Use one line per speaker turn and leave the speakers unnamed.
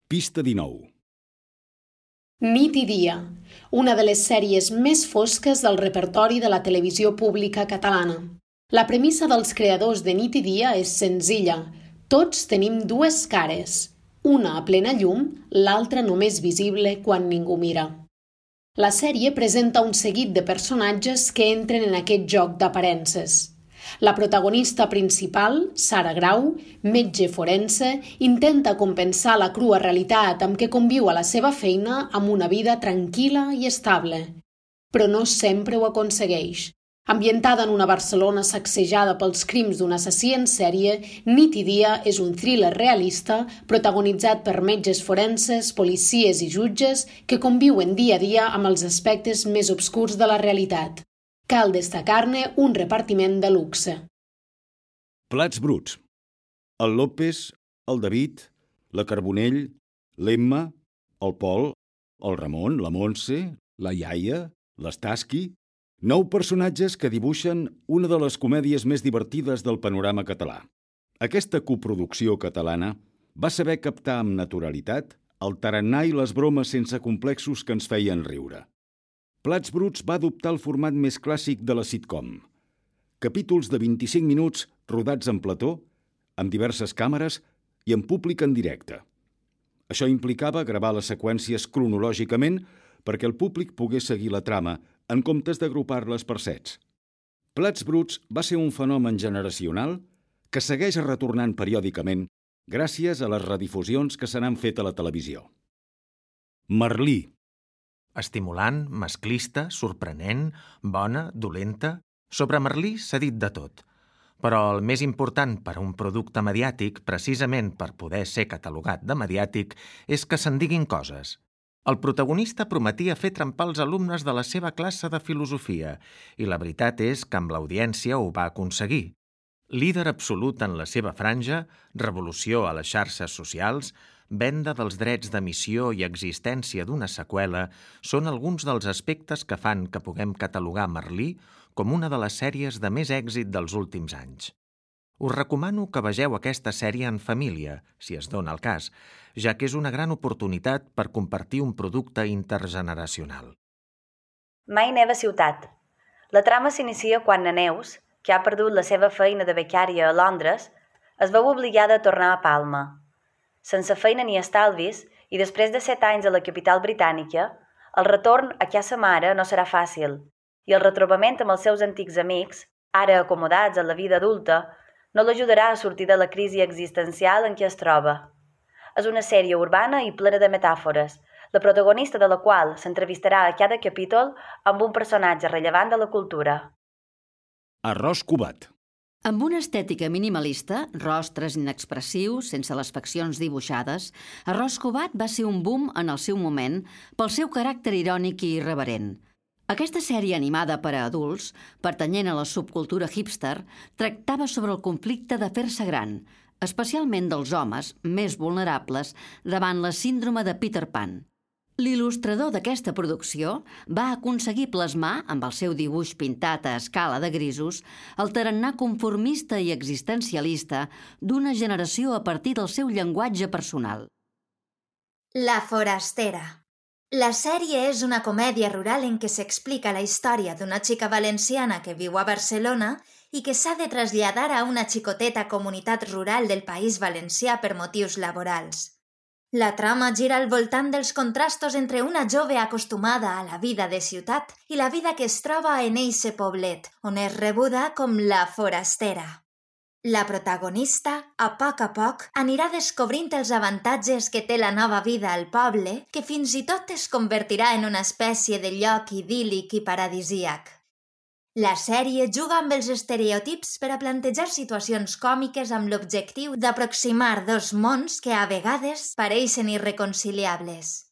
Pista 19.
Nit i dia, una de les sèries més fosques del repertori de la televisió pública catalana. La premissa dels creadors de Nit i dia és senzilla. Tots tenim dues cares, una a plena llum, l'altra només visible quan ningú mira. La sèrie presenta un seguit de personatges que entren en aquest joc d'aparences. La protagonista principal, Sara Grau, metge forense, intenta compensar la crua realitat amb què conviu a la seva feina amb una vida tranquil·la i estable. Però no sempre ho aconsegueix. Ambientada en una Barcelona sacsejada pels crims d'un assassí en sèrie, Nit i dia és un thriller realista protagonitzat per metges forenses, policies i jutges que conviuen dia a dia amb els aspectes més obscurs de la realitat. Cal destacar-ne un repartiment de luxe.
Plats bruts. El López, el David, la Carbonell, l'Emma, el Pol, el Ramon, la Montse, la Iaia, l'Estaski... 9 personatges que dibuixen una de les comèdies més divertides del panorama català. Aquesta coproducció catalana va saber captar amb naturalitat el tarannà i les bromes sense complexos que ens feien riure. Plats bruts va adoptar el format més clàssic de la sitcom. Capítols de 25 minuts rodats en plató, amb diverses càmeres i en públic en directe. Això implicava gravar les seqüències cronològicament perquè el públic pogués seguir la trama en comptes d'agrupar-les per sets. Plats bruts va ser un fenomen generacional que segueix retornant periòdicament gràcies a les redifusions que se n'han fet a la televisió. Merlí.
Estimulant, masclista, sorprenent, bona, dolenta... Sobre Merlí s'ha dit de tot. Però el més important per a un producte mediàtic, precisament per poder ser catalogat de mediàtic, és que se'n diguin coses. El protagonista prometia fer trempar els alumnes de la seva classe de filosofia i la veritat és que amb l'audiència ho va aconseguir. Líder absolut en la seva franja, revolució a les xarxes socials, venda dels drets d'emissió i existència d'una seqüela són alguns dels aspectes que fan que puguem catalogar Merlí com una de les sèries de més èxit dels últims anys. Us recomano que vegeu aquesta sèrie en família, si es dona el cas, ja que és una gran oportunitat per compartir un producte intergeneracional.
Mai neva ciutat. La trama s'inicia quan na Neus, que ha perdut la seva feina de becària a Londres, es veu obligada a tornar a Palma. Sense feina ni estalvis, i després de 7 anys a la capital britànica, el retorn a casa mare no serà fàcil, i el retrobament amb els seus antics amics, ara acomodats a la vida adulta, no l'ajudarà a sortir de la crisi existencial en què es troba. És una sèrie urbana i plena de metàfores, la protagonista de la qual s'entrevistarà a cada capítol amb un personatge rellevant de la cultura.
Arròs covat.
Amb una estètica minimalista, rostres inexpressius, sense les faccions dibuixades, Arròs covat va ser un boom en el seu moment pel seu caràcter irònic i irreverent. Aquesta sèrie animada per a adults, pertanyent a la subcultura hipster, tractava sobre el conflicte de fer-se gran, especialment dels homes més vulnerables davant la síndrome de Peter Pan. L'il·lustrador d'aquesta producció va aconseguir plasmar, amb el seu dibuix pintat a escala de grisos, el tarannà conformista i existencialista d'una generació a partir del seu llenguatge personal.
La forastera. La sèrie és una comèdia rural en què s'explica la història d'una xica valenciana que viu a Barcelona i que s'ha de traslladar a una xicoteta comunitat rural del País Valencià per motius laborals. La trama gira al voltant dels contrastos entre una jove acostumada a la vida de ciutat i la vida que es troba en eixe poblet, on és rebuda com la forastera. La protagonista, a poc, anirà descobrint els avantatges que té la nova vida al poble, que fins i tot es convertirà en una espècie de lloc idíl·lic i paradisíac. La sèrie juga amb els estereotips per a plantejar situacions còmiques amb l'objectiu d'aproximar dos mons que a vegades pareixen irreconciliables.